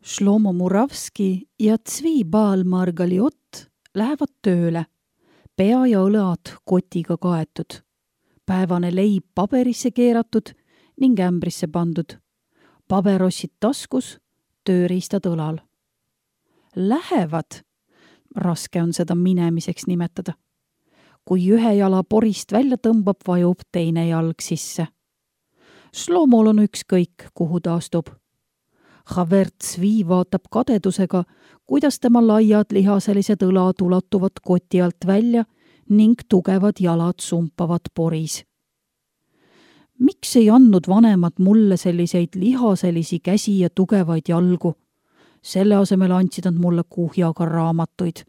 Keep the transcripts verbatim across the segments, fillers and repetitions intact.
Shlomo Muravski ja Tzvi Baal-Margaliot lähevad tööle, pea ja õlad kotiga kaetud, päevane leib paberisse keeratud ning ämbrisse pandud, paberossid taskus, tööriistad õlal. Lähevad, raske on seda minemiseks nimetada. Kui ühe jala porist välja tõmbab, vajub teine jalg sisse. Shlomol on ükskõik, kuhu ta astub. Haver Tzvi vaatab kadedusega, kuidas tema laiad lihaselised õlad ulatuvad koti alt välja ning tugevad jalad sumpavad poris. Miks ei andnud vanemad mulle selliseid lihaselisi käsi ja tugevaid jalgu? Selle asemel andsid nad mulle kuhjaga raamatuid.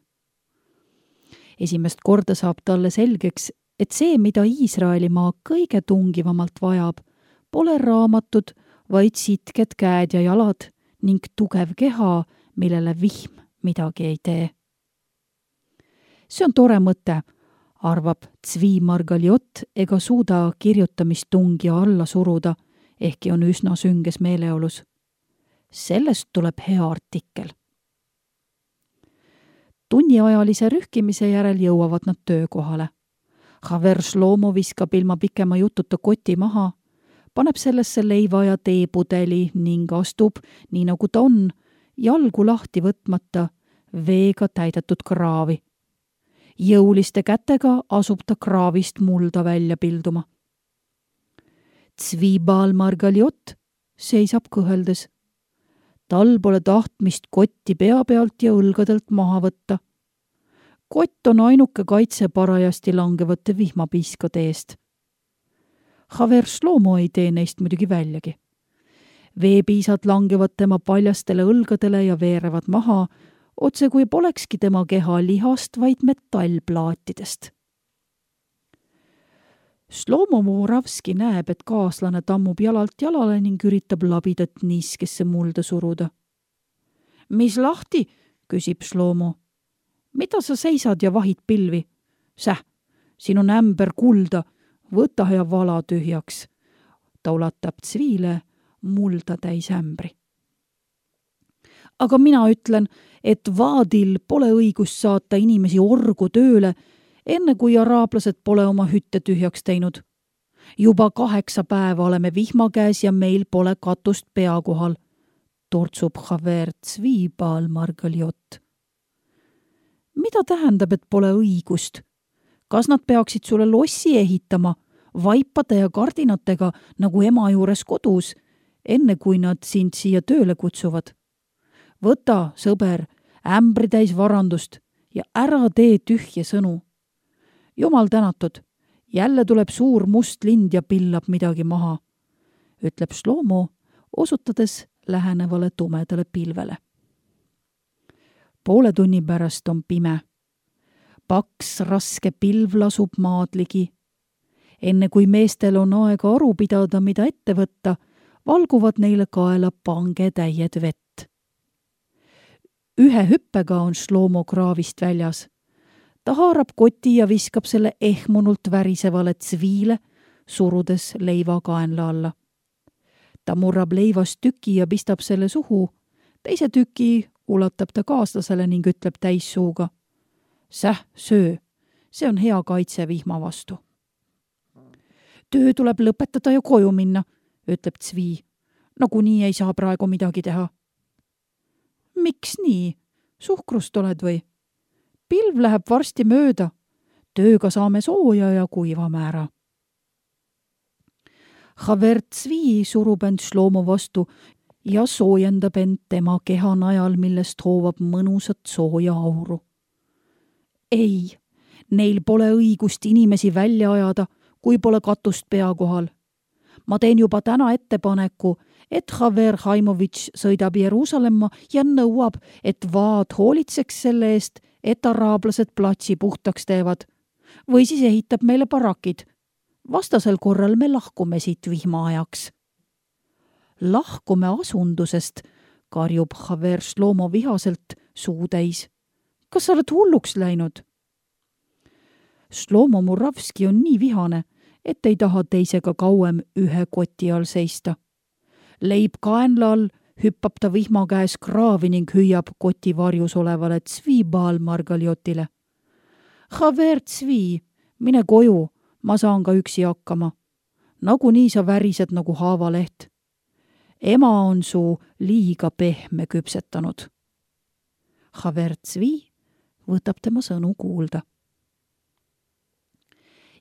Esimest korda saab talle selgeks, et see, mida Iisraelimaa kõige tungivamalt vajab, pole raamatud, vaid sitked käed ja jalad ning tugev keha, millele vihm midagi ei tee. See on tore mõte, arvab Tzvi Margaliot ega suuda kirjutamistungi alla suruda, ehkki on üsna sünges meeleolus. Sellest tuleb hea artikkel. Tunniajalise rühkimise järel jõuavad nad töökohale. Haver Shlomo viskab ilma pikema jututa koti maha, paneb sellesse leiva ja teepudeli ning astub, nii nagu ta on, jalgu lahti võtmata, veega täidetud kraavi. Jõuliste kätega asub ta kraavist mulda välja pilduma. Tzvi Baal-Margaliot seisab kõheldes. Tal pole tahtmist kotti pea pealt ja õlgadelt maha võtta. Kott on ainuke kaitse parajasti langevate vihmapiiskade eest. Haver Shlomo ei tee neist muidugi väljagi. Veepiisad langevad tema paljastele õlgadele ja veerevad maha, otse kui polekski tema keha lihast, vaid metallplaatidest. Shlomo Muravski näeb, et kaaslane tammub jalalt jalale ning üritab labidat niiskesse mulda suruda. Mis lahti, küsib Shlomo. Mida sa seisad ja vahid pilvi? Säh, siin on ämber kulda, võta ja vala tühjaks. Ta ulatab Tzvile mulda täis ämbri. Aga mina ütlen, et vaadil pole õigust saata inimesi orgu tööle, enne kui araablased pole oma hütte tühjaks teinud. Juba kaheksa päeva oleme vihma käes ja meil pole katust pea kohal, tortsub Haver Tzvi Baal-Margaliot. Mida tähendab, et pole õigust? Kas nad peaksid sulle lossi ehitama, vaipade ja kardinatega nagu ema juures kodus, enne kui nad sind siia tööle kutsuvad? Võta, sõber, ämbri täis varandust ja ära tee tühje sõnu. Jumal tänatud, jälle tuleb suur must lind ja pillab midagi maha, ütleb Shlomo, osutades lähenevale tumedale pilvele. Poole tunni pärast on pime. Paks raske pilv lasub maadligi. Enne kui meestel on aega aru pidada, mida ette võtta, valguvad neile kaela pangetäied vett. Ühe hüppega on Shlomo kraavist väljas. Ta haarab koti ja viskab selle ehmunult värisevale Tzvile, surudes leiva kaenla alla. Ta murrab leivast tüki ja pistab selle suhu. Teise tüki ulatab ta kaaslasele ning ütleb täissuuga. Säh, söö, see on hea kaitse vihma vastu. Töö tuleb lõpetada ja koju minna, ütleb Tzvi. Nagunii ei saa praegu midagi teha. Miks nii? Suhkrust oled või? Pilv läheb varsti mööda. Tööga saame sooja ja kuiva määra. Haver Tzvi surub end Shlomo vastu ja soojendab end tema keha najal, millest hoovab mõnusat sooja auru. Ei, neil pole õigust inimesi välja ajada, kui pole katust pea kohal. Ma teen juba täna ettepaneku, et Haver Haimovitš sõidab Jeruusalemma ja nõuab, et vaad hoolitseks selle eest, et araablased platsi puhtaks teevad. Või siis ehitab meile barakid. Vastasel korral me lahkume siit vihma ajaks. Lahkume asundusest, karjub Haver Shlomo vihaselt suutäis. Kas sa oled hulluks läinud? Shlomo Muravski on nii vihane, et ei taha teisega kauem ühe koti all seista. Leib kaenla all, hüppab ta vihma käes kraavi ning hüüab koti varjus olevale Zwiebal Margaliotile. Haver Zwi, mine koju, ma saan ka üksi hakkama. Nagunii sa värised nagu haavaleht. Ema on su liiga pehme küpsetanud. Haver Zwi võtab tema sõnu kuulda.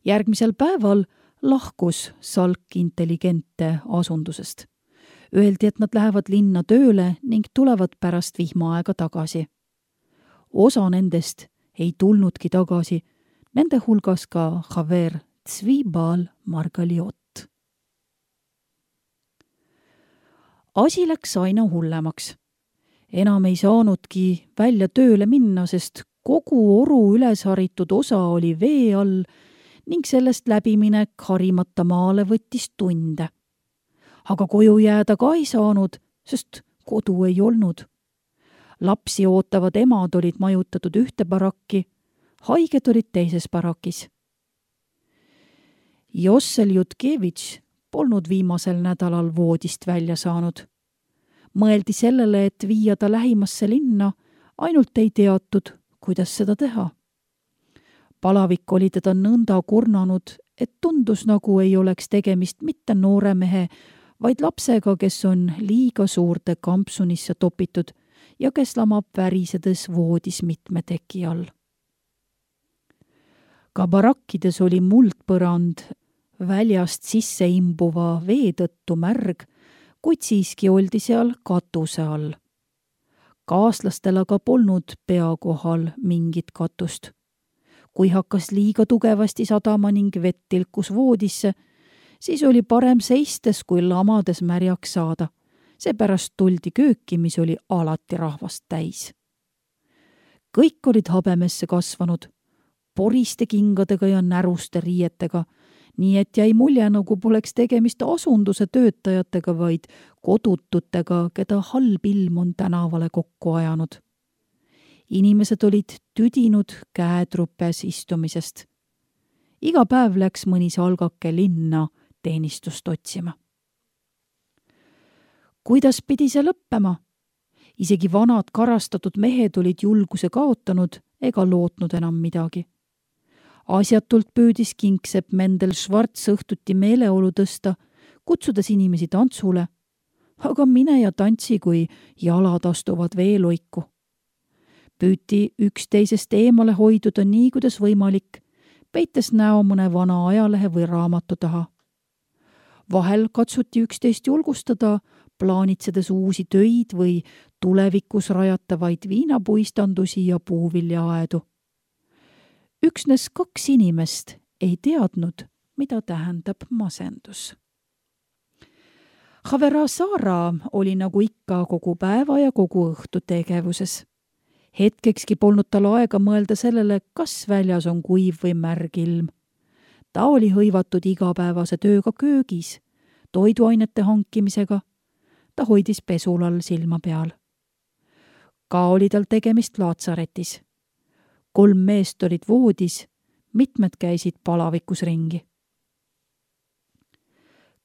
Järgmisel päeval lahkus Salk intelligente asundusest. Öeldi, et nad lähevad linna tööle ning tulevad pärast vihmaaega tagasi. Osa nendest ei tulnudki tagasi, nende hulgas ka Haver Zwiebal Margaliot. Asi läks aina hullemaks. Enam ei saanudki välja tööle minna, sest kogu oru ülesharitud osa oli vee all ning sellest läbiminek harimata maale võttis tunde. Aga koju jääda ka ei saanud, sest kodu ei olnud. Lapsi ootavad emad olid majutatud ühte barakki, haiged olid teises barakis. Jossel Jutkevitš polnud viimasel nädalal voodist välja saanud. Mõeldi sellele, et viia ta lähimasse linna, ainult ei teatud, kuidas seda teha. Palavik oli teda nõnda kurnanud, et tundus nagu ei oleks tegemist mitte noore mehe, vaid lapsega, kes on liiga suurde kampsunisse topitud ja kes lamab värisedes voodis mitme teki all. Ka barakkides oli muldpõrand väljast sisse imbuva vee tõttu märg, kuid siiski oldi seal katuse all. Kaaslastel aga polnud pea kohal mingit katust. Kui hakkas liiga tugevasti sadama ning vett tilkus voodisse, siis oli parem seistes kui lamades märjaks saada. Seepärast tuldi kööki, mis oli alati rahvast täis. Kõik olid habemesse kasvanud, poriste kingadega ja näruste riietega, nii et jäi mulje, nagu poleks tegemist asunduse töötajatega, vaid kodututega, keda halb ilm on tänavale kokku ajanud. Inimesed olid tüdinud käetrupes istumisest. Iga päev läks mõni salgake linna teenistust otsima. Kuidas pidi see lõppema? Isegi vanad karastatud mehed olid julguse kaotanud ega lootnud enam midagi. Asjatult püüdis kingsepp Mendel Schwarz õhtuti meeleolu tõsta, kutsudes inimesi tantsule, aga mine ja tantsi, kui jalad astuvad veeloiku. Püüti üksteisest eemale hoiduda nii, kuidas võimalik, peites näo mõne vana ajalehe või raamatu taha. Vahel katsuti üksteist julgustada, plaanitsedes uusi töid või tulevikus rajatavaid viinapuistandusi ja puuviljaaedu. Üksnes kaks inimest ei teadnud, mida tähendab masendus. Havera Saara oli nagu ikka kogu päeva ja kogu õhtu tegevuses. Hetkekski polnud tal aega mõelda sellele, kas väljas on kuiv või märg ilm. Ta oli hõivatud igapäevase tööga köögis, toiduainete hankimisega. Ta hoidis pesul all silma peal. Ka oli tal tegemist laatsaretis. Kolm meest olid voodis, mitmed käisid palavikus ringi.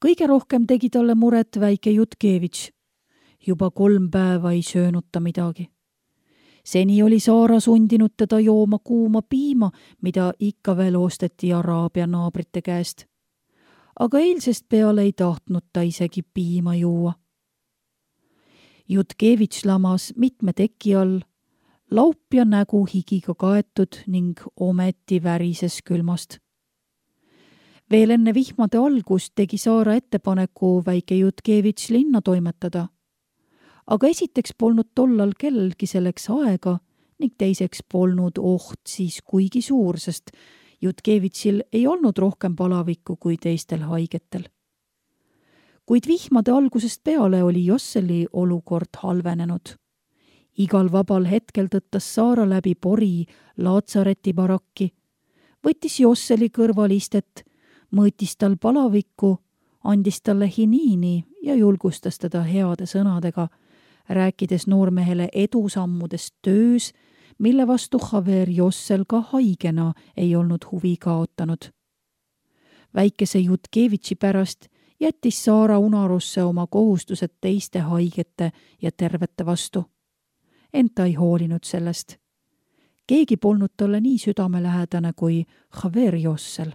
Kõige rohkem tegi talle muret väike Jutkevitš. Juba kolm päeva ei söönud ta midagi. Seni oli Saara sundinud teda jooma kuuma piima, mida ikka veel osteti Araabia naabrite käest. Aga eilsest peale ei tahtnud ta isegi piima juua. Jutkevitš lamas mitme teki all, laup ja nägu higiga kaetud ning ometi värises külmast. Veel enne vihmade algust tegi Saara ettepaneku väike Jutkevitš linna toimetada. Aga esiteks polnud tollal kellelgi selleks aega ning teiseks polnud oht siis kuigi suur, sest Jutkevitšil ei olnud rohkem palavikku kui teistel haigetel. Kuid vihmade algusest peale oli Josseli olukord halvenenud. Igal vabal hetkel tõttas Saara läbi pori laatsareti barakki, võttis Josseli kõrval istet, mõõtis tal palavikku, andis talle hiniini ja julgustas teda heade sõnadega, rääkides noormehele edusammudest töös, mille vastu Haver Jossel ka haigena ei olnud huvi kaotanud. Väikese Jutkevitši pärast jättis Saara unarusse oma kohustused teiste haigete ja tervete vastu. Ent ta ei hoolinud sellest. Keegi polnud talle nii südamelähedane kui Xaver Jossel.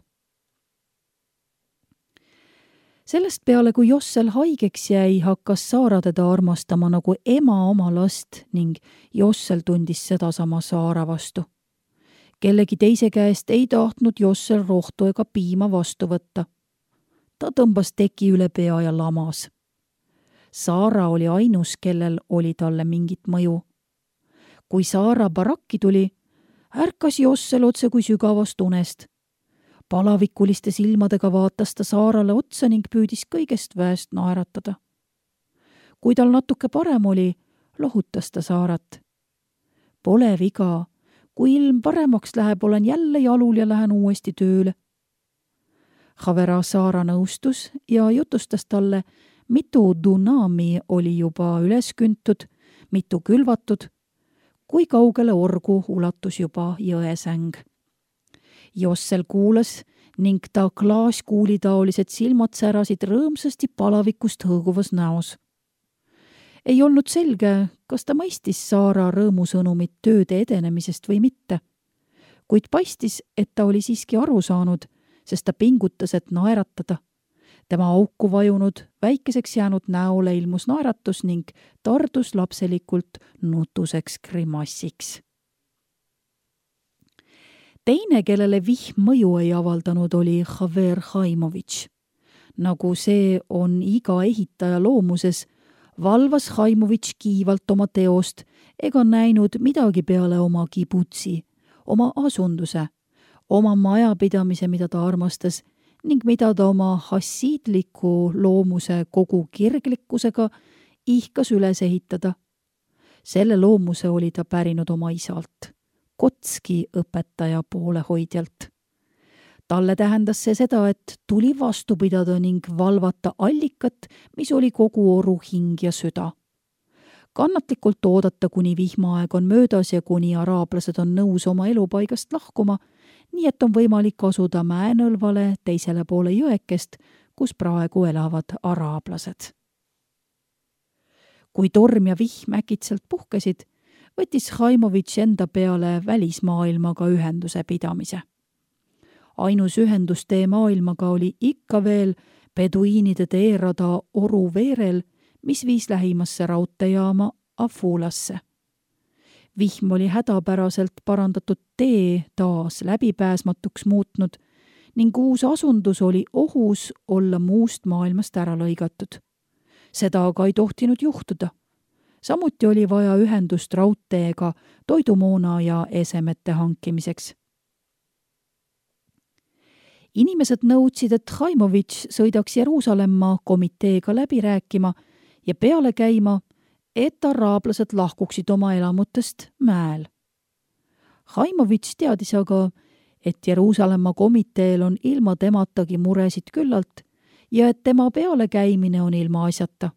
Sellest peale, kui Jossel haigeks jäi, hakkas Saara teda armastama nagu ema oma last ning Jossel tundis sedasama Saara vastu. Kellegi teise käest ei tahtnud Jossel rohtu ega piima vastu võtta. Ta tõmbas teki üle pea ja lamas. Saara oli ainus, kellel oli talle mingit mõju. Kui Saara barakki tuli, ärkas Jossel otse kui sügavast unest. Palavikuliste silmadega vaatas ta Saarale otsa ning püüdis kõigest väest naeratada. Kui tal natuke parem oli, lohutas ta Saarat. Pole viga, kui ilm paremaks läheb, olen jälle jalul ja lähen uuesti tööle. Xavera Saara nõustus ja jutustas talle, mitu dunami oli juba üles küntud, mitu külvatud, kui kaugele orgu ulatus juba jõesäng. Jossel kuulas ning ta klaaskuulitaolised silmad särasid rõõmsasti palavikust hõõguvas näos. Ei olnud selge, kas ta mõistis Saara rõõmusõnumit tööde edenemisest või mitte, kuid paistis, et ta oli siiski aru saanud, sest ta pingutas, et naeratada. Tema auku vajunud, väikeseks jäänud näole ilmus naeratus ning tardus lapselikult nutuseks grimassiks. Teine, kellele vihm mõju ei avaldanud, oli Xaver Haimovitš. Nagu see on iga ehitaja loomuses, valvas Haimovitš kiivalt oma teost ega näinud midagi peale oma kibutsi, oma asunduse, oma majapidamise, mida ta armastas ning mida ta oma hassiidliku loomuse kogu kirglikkusega ihkas üles ehitada. Selle loomuse oli ta pärinud oma isalt, Kotski õpetaja poolehoidjalt. Talle tähendas see seda, et tuli vastu pidada ning valvata allikat, mis oli kogu oru hing ja süda. Kannatlikult oodata, kuni vihmaaeg on möödas ja kuni araablased on nõus oma elupaigast lahkuma, nii et on võimalik asuda mäenõlvale teisele poole jõekest, kus praegu elavad araablased. Kui torm ja vihm äkitselt puhkesid, võttis Haimovitš enda peale välismaailmaga ühenduse pidamise. Ainus ühendustee maailmaga oli ikka veel peduiinide teerada oru veerel, mis viis lähimasse raudteejaama Afulasse. Vihm oli hädapäraselt parandatud tee taas läbipääsmatuks muutnud ning uus asundus oli ohus olla muust maailmast ära lõigatud. Seda aga ei tohtinud juhtuda. Samuti oli vaja ühendust raudteega toidumoona ja esemete hankimiseks. Inimesed nõudsid, et Haimovitš sõidaks Jeruusalemma komiteega läbi rääkima ja peale käima, et araablased lahkuksid oma elamutest mäel. Haimovitš teadis aga, et Jeruusalemma komiteel on ilma tematagi muresid küllalt ja et tema peale käimine on ilma asjata.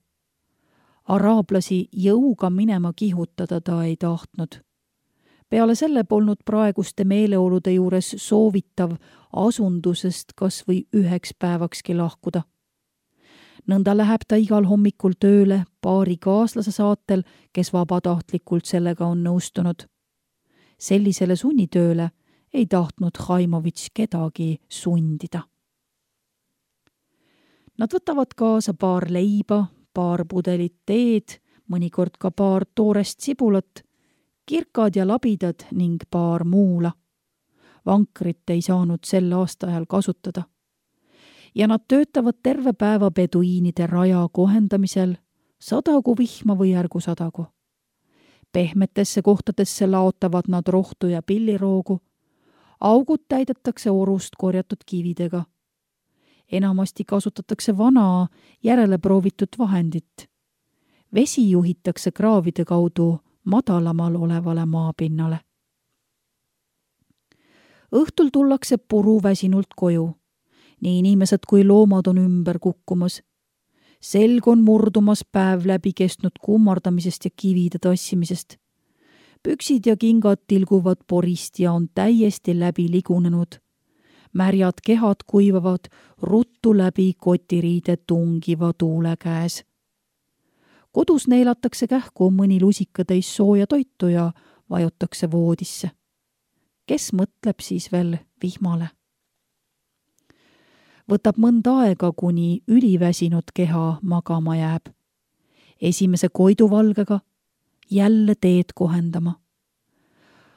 Araablasi jõuga minema kihutada ta ei tahtnud. Peale selle polnud praeguste meeleolude juures soovitav asundusest kas või üheks päevakski lahkuda. Nõnda läheb ta igal hommikul tööle paari kaaslase saatel, kes vabatahtlikult sellega on nõustunud. Sellisele sunnitööle ei tahtnud Haimovitš kedagi sundida. Nad võtavad kaasa paar leiba, paar pudelit teed, mõnikord ka paar toorest sibulat, kirkad ja labidad ning paar muula. Vankrit ei saanud sel aastaajal kasutada. Ja nad töötavad terve päeva peduiinide raja kohendamisel, sadagu vihma või ärgu sadagu. Pehmetesse kohtadesse laotavad nad rohtu ja pilliroogu, augud täidetakse orust korjatud kividega. Enamasti kasutatakse vana, järele proovitud vahendit. Vesi juhitakse kraavide kaudu madalamal olevale maapinnale. Õhtul tullakse puru väsinult koju. Nii inimesed kui loomad on ümber kukkumas. Selg on murdumas päev läbi kestnud kummardamisest ja kivide tassimisest. Püksid ja kingad tilguvad porist ja on täiesti läbi ligunenud. Märjad kehad kuivavad ruttu läbi kotiriide tungiva tuule käes. Kodus neelatakse kähku mõni lusikatäis sooja toitu ja vajutakse voodisse. Kes mõtleb siis veel vihmale? Võtab mõnda aega, kuni üliväsinud keha magama jääb. Esimese koiduvalgega jälle teed kohendama.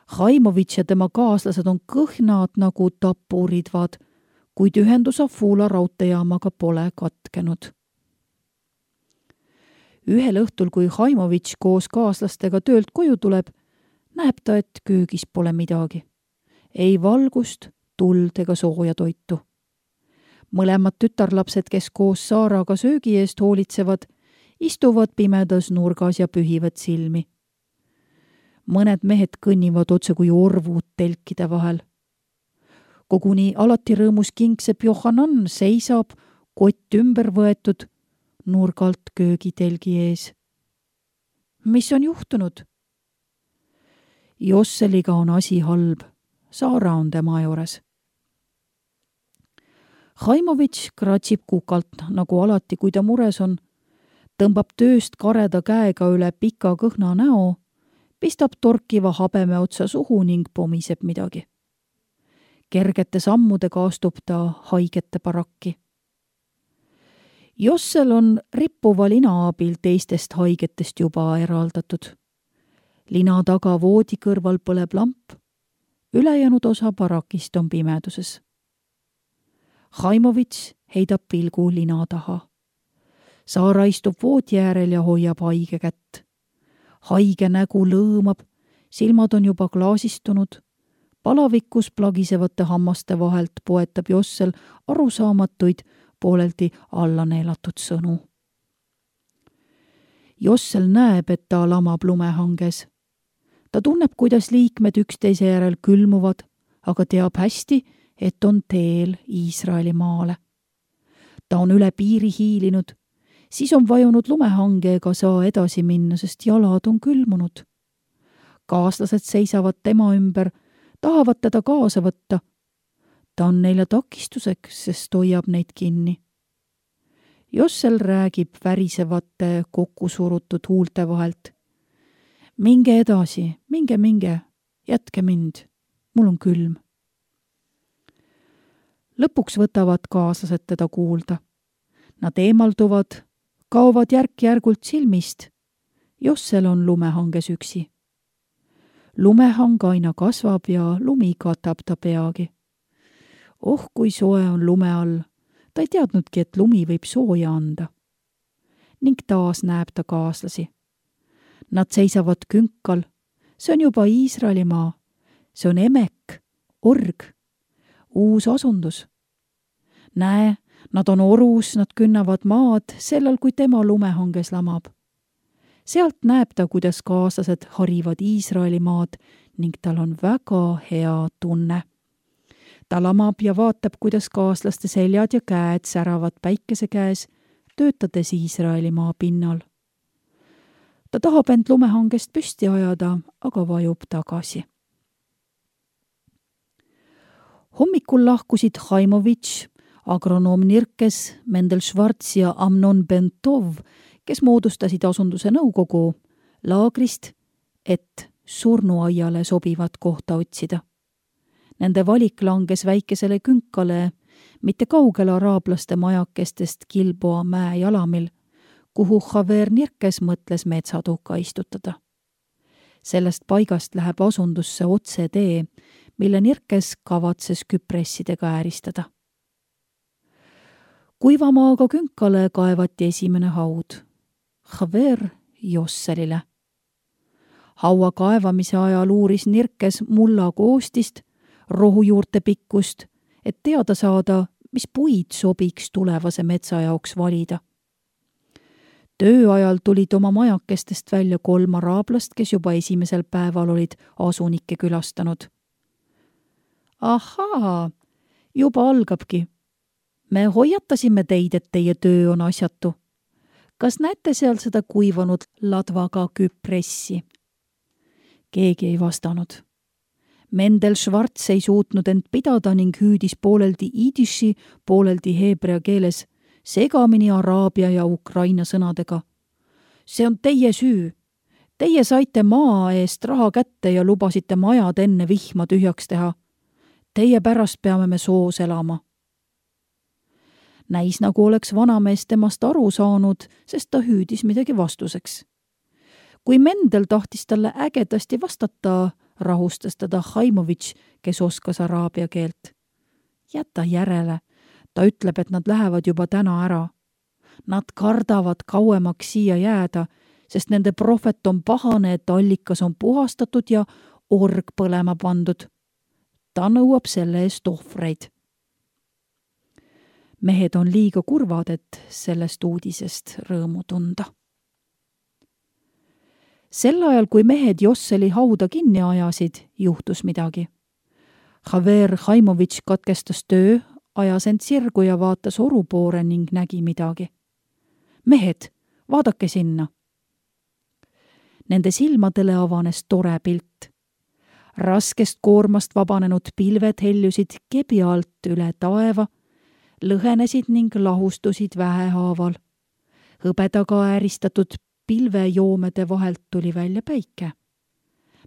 Haimovitš ja tema kaaslased on kõhnad nagu tapuridvad, kuid ühendus Afula raudteejaamaga pole katkenud. Ühel õhtul, kui Haimovitš koos kaaslastega töölt koju tuleb, näeb ta, et köögis pole midagi. Ei valgust, tuld ega sooja toitu. Mõlemad tütarlapsed, kes koos Saaraga söögi eest hoolitsevad, istuvad pimedas nurgas ja pühivad silmi. Mõned mehed kõnnivad otse kui orvud telkide vahel. Koguni alati rõõmus kingsepp Johanan seisab, kott ümber võetud, nurgalt köögitelgi ees. Mis on juhtunud? Josseliga on asi halb. Saara on tema juures. Haimovitš kratsib kukalt, nagu alati, kui ta mures on, tõmbab tööst kareda käega üle pika kõhna näo, pistab torkiva habeme otsa suhu ning pomiseb midagi. Kergete sammudega astub ta haigete barakki. Jossel on rippuva lina abil teistest haigetest juba eraldatud. Lina taga voodi kõrval põleb lamp, ülejäänud osa barakist on pimeduses. Haimovitš heidab pilgu lina taha. Saara istub voodi äärel ja hoiab haige kätt. Haige nägu lõõmab, silmad on juba klaasistunud, palavikus plagisevate hammaste vahelt poetab Jossel arusaamatuid, pooleldi alla neelatud sõnu. Jossel näeb, et ta lamab lumehanges. Ta tunneb, kuidas liikmed üksteise järel külmuvad, aga teab hästi, et on teel Iisraeli maale. Ta on üle piiri hiilinud, siis on vajunud lumehange ega saa edasi minna, sest jalad on külmunud. Kaaslased seisavad tema ümber, tahavad teda kaasa võtta. Ta on neile takistuseks, sest hoiab neid kinni. Jossel räägib värisevate kokkusurutud huulte vahelt. Minge edasi, minge, minge, jätke mind, mul on külm. Lõpuks võtavad kaaslased teda kuulda. Nad eemalduvad, kaovad järk-järgult silmist. Jossel on lumehanges üksi. Lumehang aina kasvab ja lumi katab ta peagi. Oh, kui soe on lume all. Ta ei teadnudki, et lumi võib sooja anda. Ning taas näeb ta kaaslasi. Nad seisavad künkal. See on juba Iisraelimaa. See on Emek, org. Uus asundus. Näe, nad on orus, nad künnavad maad, sellel kui tema lumehanges lamab. Sealt näeb ta, kuidas kaaslased harivad Iisraeli maad ning tal on väga hea tunne. Ta lamab ja vaatab, kuidas kaaslaste seljad ja käed säravad päikese käes, töötades Iisraeli maa pinnal. Ta tahab end lumehangest püsti ajada, aga vajub tagasi. Hommikul lahkusid Haimovitš, agronoom Nirkes, Mendel Schwarz ja Amnon Bentov, kes moodustasid asunduse nõukogu laagrist, et surnuaiale sobivat kohta otsida. Nende valik langes väikesele künkale, mitte kaugele araablaste majakestest Gilboa mäe jalamil, kuhu Javer Nirkes mõtles metsatuka istutada. Sellest paigast läheb asundusse otse tee, mille Nirkes kavatses küpressidega ääristada. Kuivamaaga künkale kaevati esimene haud. Javer Josselile. Haua kaevamise ajal uuris Nirkes mulla koostist, rohujuurte pikkust, et teada saada, mis puid sobiks tulevase metsa jaoks valida. Töö ajal tulid oma majakestest välja kolm araablast, kes juba esimesel päeval olid asunikke külastanud. Ahaa, juba algabki. Me hoiatasime teid, et teie töö on asjatu. Kas näete seal seda kuivanud ladvaga küpressi? Keegi ei vastanud. Mendel Schwarz ei suutnud end pidada ning hüüdis pooleldi iidiši, pooleldi heebrea keeles, segamini araabia ja ukraina sõnadega. See on teie süü. Teie saite maa eest raha kätte ja lubasite majad enne vihma tühjaks teha. Teie pärast peame me soos elama. Näis nagu oleks vanamees temast aru saanud, sest ta hüüdis midagi vastuseks. Kui Mendel tahtis talle ägedasti vastata, rahustas teda Haimovitš, kes oskas araabia keelt. Jäta järele, ta ütleb, et nad lähevad juba täna ära. Nad kardavad kauemaks siia jääda, sest nende prohvet on pahane, et allikas on puhastatud ja org põlema pandud. Ta nõuab selle eest ohvreid. Mehed on liiga kurvad, et sellest uudisest rõõmu tunda. Sel ajal, kui mehed Josseli hauda kinni ajasid, juhtus midagi. Haver Haimovitš katkestas töö, ajas end sirgu ja vaatas oru poore ning nägi midagi. Mehed, vaadake sinna. Nende silmadele avanes tore pilt. Raskest koormast vabanenud pilved heljusid kebi alt üle taeva, lõhenesid ning lahustusid vähehaaval. Hõbedaga ääristatud pilvejoomede vahelt tuli välja päike.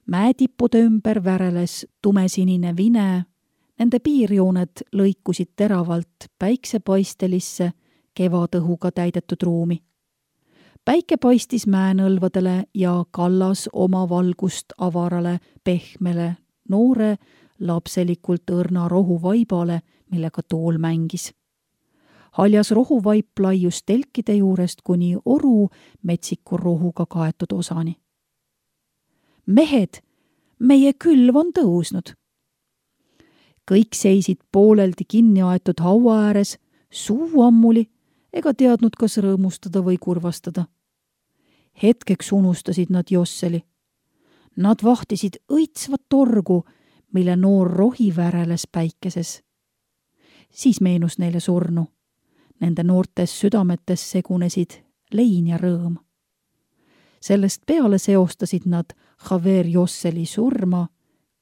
Mäetippude ümber väreles tumesinine vine, nende piirjooned lõikusid teravalt päiksepaistelisse kevadõhuga täidetud ruumi. Päike paistis mäenõlvadele ja kallas oma valgust avarale, pehmele, noore, lapselikult õrna rohuvaibale, millega tool mängis. Haljas rohuvaip laius telkide juurest kuni oru metsiku rohuga kaetud osani. Mehed, meie külv on tõusnud. Kõik seisid pooleldi kinni aetud haua ääres, suu ammuli, ega teadnud, kas rõõmustada või kurvastada. Hetkeks unustasid nad Josseli. Nad vahtisid õitsvat torgu, mille noor rohi väreles päikeses. Siis meenus neile surnu. Nende noortes südametes segunesid lein ja rõõm. Sellest peale seostasid nad Haver Josseli surma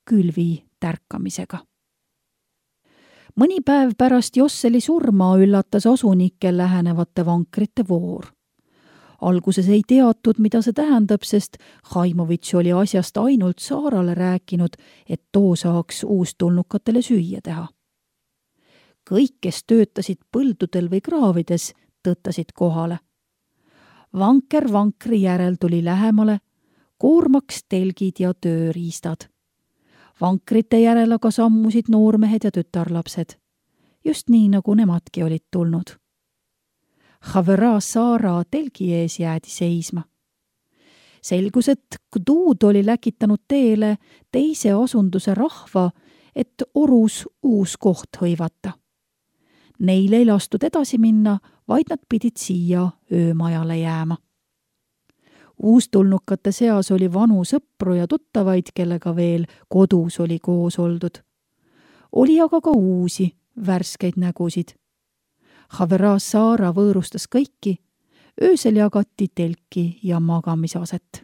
külvi tärkamisega. Mõni päev pärast Josseli surma üllatas asunikke lähenevate vankrite voor. Alguses ei teatud, mida see tähendab, sest Haimovitš oli asjast ainult Saarale rääkinud, et too saaks uustulnukatele süüa teha. Kõik, kes töötasid põldudel või kraavides, tõttasid kohale. Vanker vankri järel tuli lähemale, koormaks telgid ja tööriistad. Vankrite järel aga sammusid noormehed ja tütarlapsed, just nii, nagu nemadki olid tulnud. Havera Saara telgi ees jäädi seisma. Selgus, et Kduud oli läkitanud teele teise asunduse rahva, et orus uus koht hõivata. Neil ei lastud edasi minna, vaid nad pidid siia öömajale jääma. Uustulnukate seas oli vanu sõpru ja tuttavaid, kellega veel kodus oli koos oldud. Oli aga ka uusi, värskeid nägusid. Havera Saara võõrustas kõiki, öösel jagati telki ja magamisaset.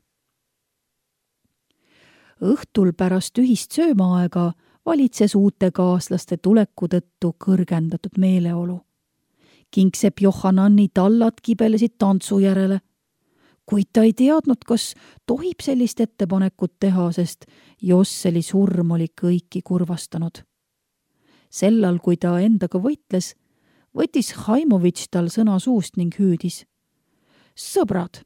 Õhtul pärast ühist söömaaega valitses uute kaaslaste tuleku tõttu kõrgendatud meeleolu. Kingsepp Johannani tallad kibelesid tantsu järele, kuid ta ei teadnud, kas tohib sellist ettepanekut teha, sest Josseli surm oli kõiki kurvastanud. Sellal, kui ta endaga võitles, võttis Haimovitš tal sõna suust ning hüüdis. Sõbrad,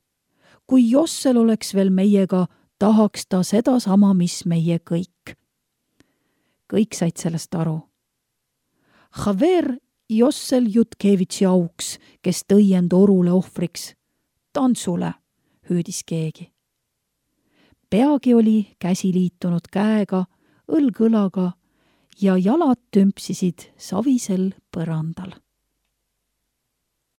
kui Jossel oleks veel meiega, tahaks ta seda sama, mis meie kõik. Kõik said sellest aru. Haver Jossel Jutkevitši auks, kes tõi end orule ohvriks. Tantsule, hüüdis keegi. Peagi oli käsi liitunud käega, õlg õlaga ja jalad tümpsisid savisel põrandal.